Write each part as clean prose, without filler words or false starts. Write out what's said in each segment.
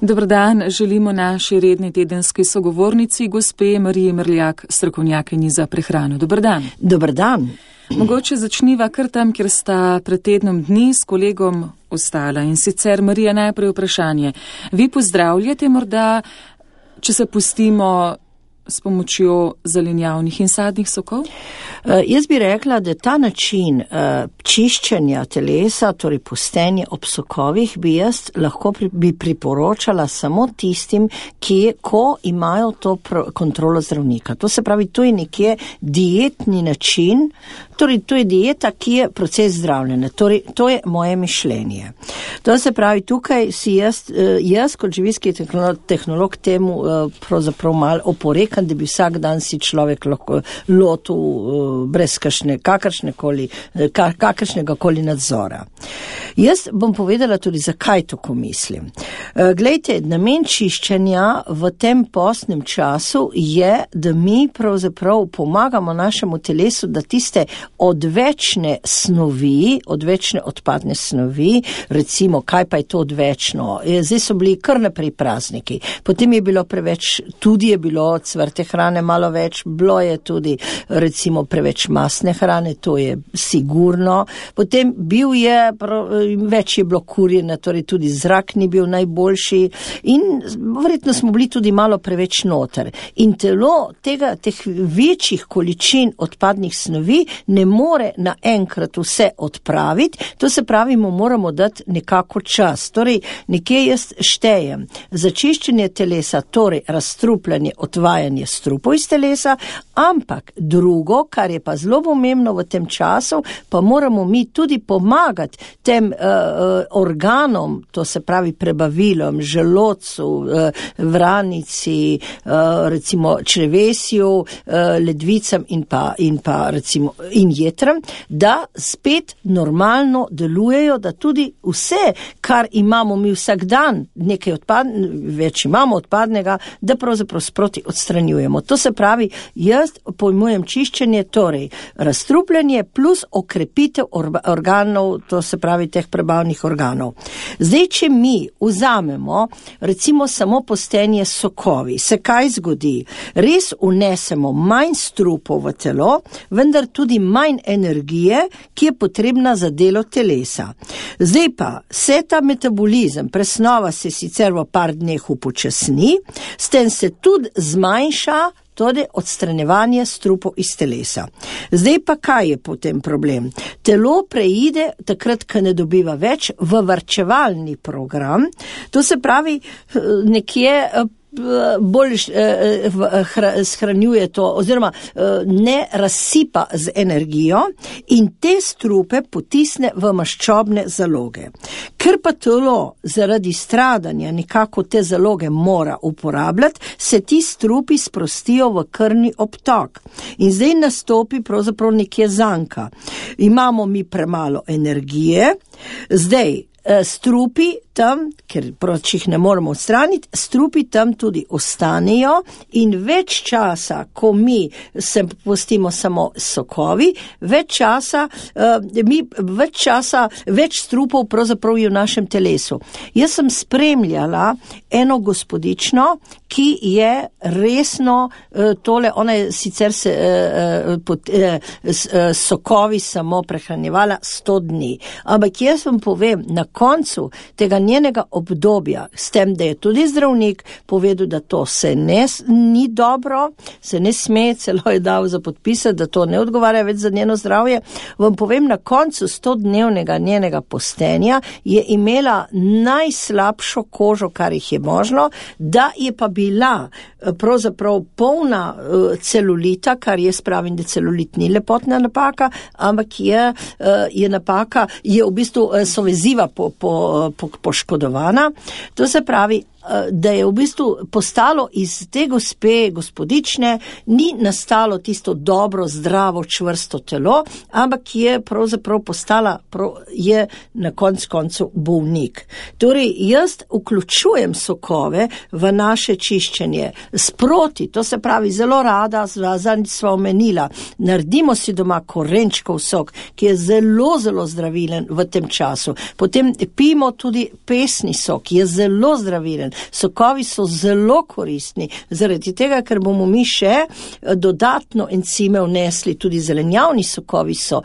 Dober dan, želimo naši redni tedenski sogovornici, gospe Mariji Mrljak, strokovnjakinji za prehrano. Dober dan. Dober dan. Mogoče začniva kar tam, kjer sta pred tednom dni s kolegom ostala. In sicer, Marija, najprej vprašanje. Vi pozdravljate morda, če se pustimo s pomočjo zelenjavnih in sadnih sokov? Jaz bi rekla, da ta način čiščenja telesa, torej pustenje ob sokovih, lahko bi priporočala samo tistim, ko imajo to kontrolo zdravnika. To se pravi, to je nekje dietni način, torej to je dieta, ki je proces zdravljenja. Torej, to je moje mišljenje. To se pravi, tukaj si jaz kot živilski tehnolog temu pravzaprav malo oporekam, da bi vsak dan si človek lahko lotil brez kakršnega koli nadzora. Jaz bom povedala tudi, zakaj tako mislim. Glejte, namen čiščenja v tem postnem času je, da mi pravzaprav pomagamo našemu telesu, da tiste odvečne snovi, odvečne odpadne snovi, recimo, kaj pa je to odvečno? Zdaj so bili kar naprej prazniki, potem je bilo tudi je bilo cvrte hrane malo več, bilo je tudi recimo preveč masne hrane, to je sigurno, potem več je bilo kurjene, torej tudi zrak ni bil najboljši in verjetno smo bili tudi malo preveč noter. In telo teh večjih količin odpadnih snovi ne more naenkrat vse odpraviti, to se pravi, mu moramo dati nekako čas. Torej, nekje jaz štejem za čiščenje telesa, torej razstrupljanje, odvajanje strupov iz telesa, ampak drugo, kar je pa zelo pomembno v tem času, pa moramo mi tudi pomagati tem organom, to se pravi prebavilom, želodcu, vranici, recimo črevesju, ledvicam in pa recimo in jetram, da spet normalno delujejo, da tudi vse, kar imamo mi vsak dan, nekaj več imamo odpadnega, da pravzaprav sproti odstranjujemo. To se pravi, jaz pojmujem čiščenje, torej razstrupljanje plus okrepitev organov, to se pravi teh prebavnih organov. Zdaj, če mi vzamemo recimo samo postenje sokovi, se kaj zgodi? Res vnesemo manj strupov v telo, vendar tudi manj energije, ki je potrebna za delo telesa. Zdaj pa, se ta metabolizem, presnova se sicer v par dneh upočasni, s tem se tudi zmanjša tudi odstranjevanje strupov iz telesa. Zdaj pa kaj je potem problem? Telo preide, takrat, ko ne dobiva več, v varčevalni program, to se pravi nekje bolj shranjuje to, oziroma ne razsipa z energijo in te strupe potisne v maščobne zaloge. Ker pa telo zaradi stradanja nekako te zaloge mora uporabljati, se ti strupi sprostijo v krvni obtok. In zdaj nastopi pravzaprav nekje zanka. Imamo mi premalo energije, zdaj strupi tam, ker jih ne moremo odstraniti, strupi tam tudi ostanejo in več časa, ko mi se pustimo samo sokovi, več strupov pravzaprav je v našem telesu. Jaz sem spremljala eno gospodično, ki je resno tole, ona je sicer sokovi samo prehranjevala 100 dni, ampak jaz vam povem, na koncu tega njenega obdobja, s tem, da je tudi zdravnik povedal, da to ni dobro, se ne sme, celo je dal za podpisati, da to ne odgovarja več za njeno zdravje, vam povem, na koncu 100-dnevnega njenega postenja je imela najslabšo kožo, kar jih je možno, da je pa bila pravzaprav polna celulita, kar jaz pravim, da celulit ni lepotna napaka, ampak je napaka, je v bistvu so veziva poškodovana. To se pravi, da je v bistvu postalo iz te gospodične, ni nastalo tisto dobro, zdravo, čvrsto telo, ampak je pravzaprav postala, je na koncu bolnik. Torej, jaz vključujem sokove v naše čiščenje sproti, to se pravi zelo rada, zadnjič sva omenila, naredimo si doma korenčkov sok, ki je zelo, zelo zdravilen v tem času. Potem pijemo tudi pesni sok, ki je zelo zdravilen. Sokovi so zelo koristni, zaradi tega, ker bomo mi še dodatno encime vnesli, tudi zelenjavni sokovi so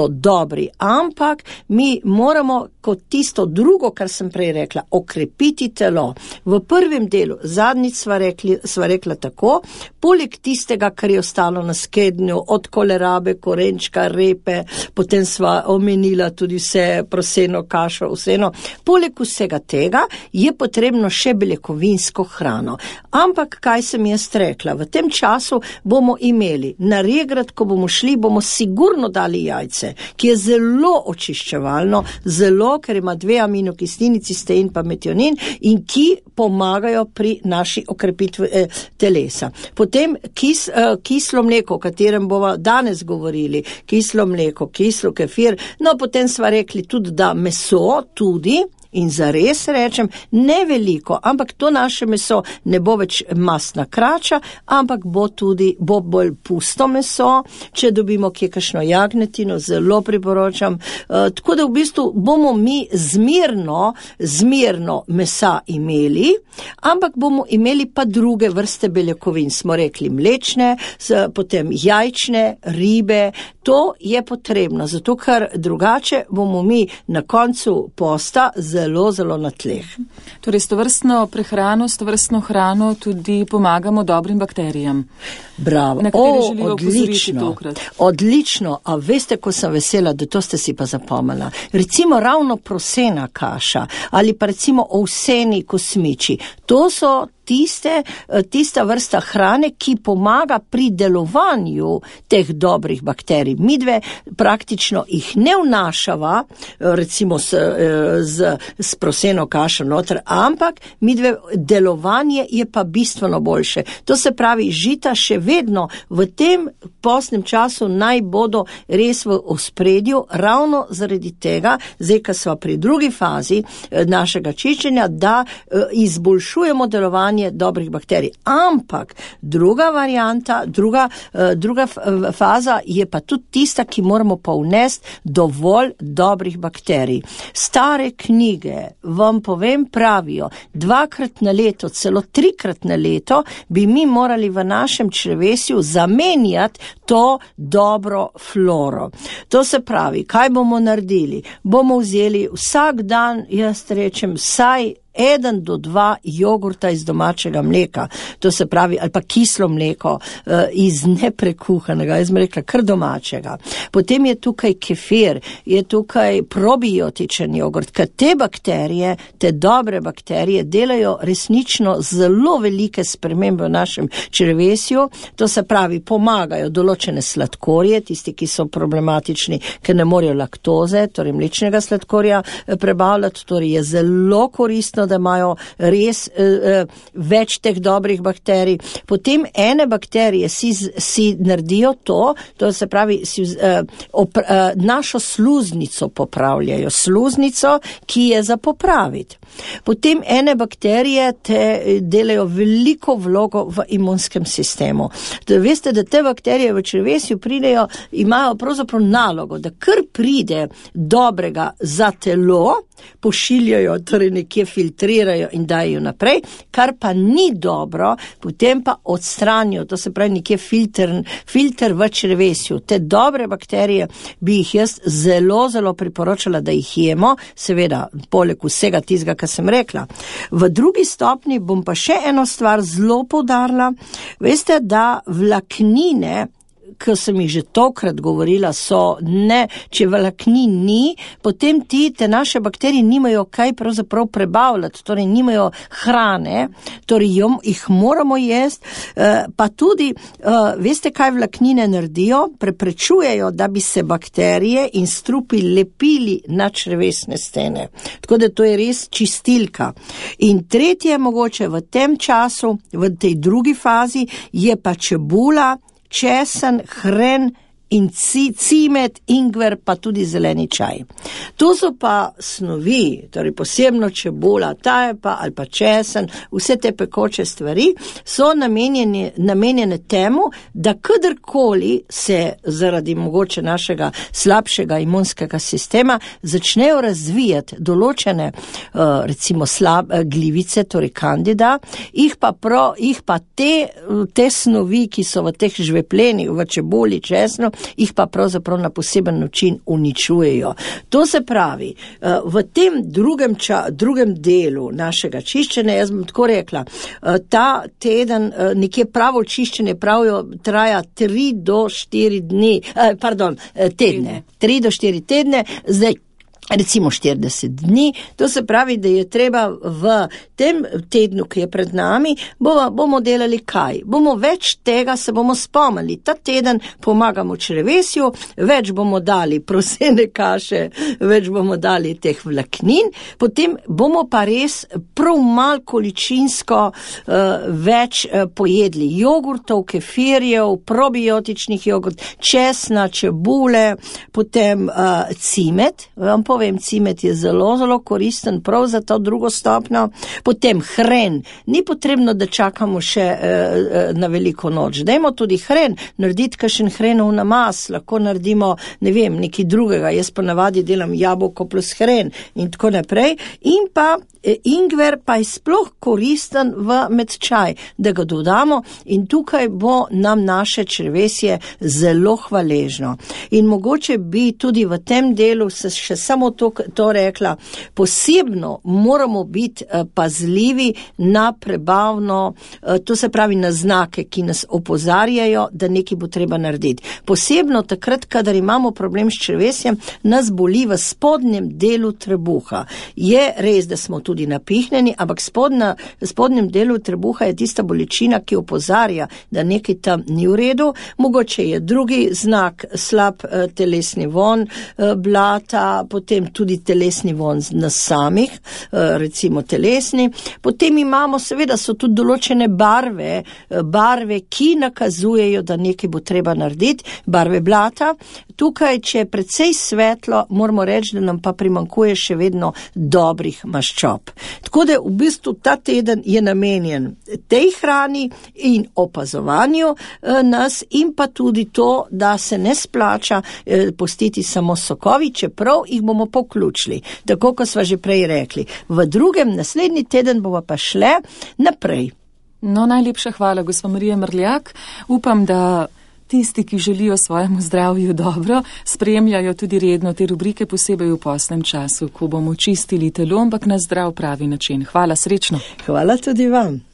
dobri, ampak mi moramo kot tisto drugo, kar sem prej rekla, okrepiti telo. V prvem delu, zadnjič sva rekla tako, poleg tistega, kar je ostalo na skednju, od kolerabe, korenčka, repe, potem sva omenila tudi vse proseno kašo, vseeno. Poleg vsega tega je potrebno še beljakovinsko hrano. Ampak kaj sem jaz rekla? V tem času bomo imeli na regrat, ko bomo šli, bomo sigurno dali jajce, ki je zelo očiščevalno, ker ima 2 aminokislini, cistein pa metionin in ki pomagajo pri naši okrepitvi telesa. Potem kislo mleko, o katerem bomo danes govorili, kislo mleko, kislo kefir, no potem sva rekli tudi, da meso tudi, in zares rečem, ne veliko, ampak to naše meso ne bo več masna krača, ampak bo bolj pusto meso, če dobimo kje kakšno jagnetino, zelo priporočam. Tako da v bistvu bomo mi zmerno mesa imeli, ampak bomo imeli pa druge vrste beljakovin. Smo rekli mlečne, potem jajčne, ribe. To je potrebno, zato ker drugače bomo mi na koncu posta zelo na tleh. Torej, s tovrstno prehrano, s tovrstno hrano tudi pomagamo dobrim bakterijam. Bravo. Na katere želijo opozoriti tokrat. Odlično. A veste, ko sem vesela, da to ste si pa zapomnila. Recimo ravno prosena kaša ali pa recimo ovseni kosmiči. To so tista vrsta hrane, ki pomaga pri delovanju teh dobrih bakterij. Midve praktično jih ne vnašava, recimo s proseno kašo noter, ampak midve delovanje je pa bistveno boljše. To se pravi, žita še vedno v tem postnem času naj bodo res v ospredju, ravno zaradi tega, zdaj, ko sva pri drugi fazi našega čiščenja, da izboljšujemo delovanje dobrih bakterij. Ampak druga varianta, druga faza je pa tudi tista, ki moramo pa vnesti dovolj dobrih bakterij. Stare knjige, vam povem, pravijo, 2-krat na leto, celo 3-krat na leto bi mi morali v našem črevesju zamenjati to dobro floro. To se pravi, kaj bomo naredili? Bomo vzeli vsak dan, jaz rečem, vsaj 1 do 2 jogurta iz domačega mleka, to se pravi, ali pa kislo mleko iz neprekuhanega, jaz bi rekla, kar domačega. Potem je tukaj kefir, je tukaj probiotičen jogurt, ker te bakterije, te dobre bakterije delajo resnično zelo velike spremembe v našem črevesju, to se pravi, pomagajo določene sladkorje, tisti, ki so problematični, ker ne morejo laktoze, torej mlečnega sladkorja prebavljati, torej je zelo koristno, da imajo res več teh dobrih bakterij. Potem ene bakterije si naredijo to se pravi, našo sluznico popravljajo, sluznico, ki je za popraviti. Potem ene bakterije te delajo veliko vlogo v imunskem sistemu. Veste, da te bakterije v črevesju pridejo, imajo pravzaprav nalogo, da kar pride dobrega za telo, pošiljajo, torej nekje filtrirajo in dajo naprej, kar pa ni dobro, potem pa odstranijo, to se pravi nekje filter v črevesju. Te dobre bakterije bi jih jaz zelo priporočala, da jih jemo, seveda poleg vsega tistega, kar sem rekla. V drugi stopni bom pa še eno stvar zelo poudarila. Veste, da vlaknine, ko sem jih že tokrat govorila, če vlaknin ni, potem te naše bakterije nimajo kaj pravzaprav prebavljati, torej nimajo hrane, torej jih moramo jesti, pa tudi, veste, kaj vlaknine naredijo? Preprečujejo, da bi se bakterije in strupi lepili na črevesne stene. Tako da to je res čistilka. In tretje mogoče v tem času, v tej drugi fazi, je pa čebula, česen, hren in cimet, ingver, pa tudi zeleni čaj. To so pa snovi, torej posebno čebula, tajpa ali pa česen, vse te pekoče stvari so namenjene temu, da kadarkoli se zaradi mogoče našega slabšega imunskega sistema začnejo razvijati določene, recimo glivice, torej kandida, jih pa te snovi, ki so v teh žveplenih, v čebuli, česnu, jih pa pravzaprav na poseben način uničujejo. To se pravi, v tem drugem delu našega čiščenja, jaz bom tako rekla, ta teden, nekje pravo čiščenje pravijo, traja 3 do 4 tedne. 3 do 4 tedne, zdaj recimo 40 dni, to se pravi, da je treba v tem tednu, ki je pred nami, bomo delali kaj? Bomo več tega se bomo spomnili. Ta teden pomagamo črevesju, več bomo dali prosene kaše, več bomo dali teh vlaknin, potem bomo pa res prav mal količinsko več pojedli jogurtov, kefirjev, probiotičnih jogurt, česna, čebule, potem cimet, vam povem, cimet je zelo, zelo koristen prav za to drugo stopnjo. Potem hren. Ni potrebno, da čakamo še na veliko noč. Dajmo tudi hren, narediti kakšen hrenov namaz, lahko naredimo, ne vem, nekaj drugega. Jaz pa navadi delam jabolko plus hren in tako naprej. In pa ingver pa je sploh koristen med čaj, da ga dodamo in tukaj bo nam naše črevesje zelo hvaležno. In mogoče bi tudi v tem delu se še samo to rekla, posebno moramo biti pazljivi na prebavno, to se pravi na znake, ki nas opozarjajo, da nekaj bo treba narediti. Posebno takrat, kadar imamo problem s črevesjem, nas boli v spodnjem delu trebuha. Je res, da smo tudi napihnjeni, ampak spodnjem delu trebuha je tista bolečina, ki opozarja, da nekaj tam ni v redu. Mogoče je drugi znak, slab telesni von blata, potem tudi telesni von nas samih, recimo telesni. Potem imamo, seveda so tudi določene barve, ki nakazujejo, da nekaj bo treba narediti, barve blata. Tukaj, če je precej svetlo, moramo reči, da nam pa primanjkuje še vedno dobrih maščob. Tako da v bistvu ta teden je namenjen tej hrani in opazovanju nas in pa tudi to, da se ne splača pustiti samo sokovi, čeprav jih bomo poključili, tako kot sva že prej rekli. V naslednji teden bomo pa šle naprej. No, najlepša hvala, gospa Marija Mrljak. Upam, da tisti, ki želijo svojemu zdravju dobro, spremljajo tudi redno te rubrike, posebej v postnem času, ko bomo čistili telo, ampak na zdrav pravi način. Hvala, srečno. Hvala tudi vam.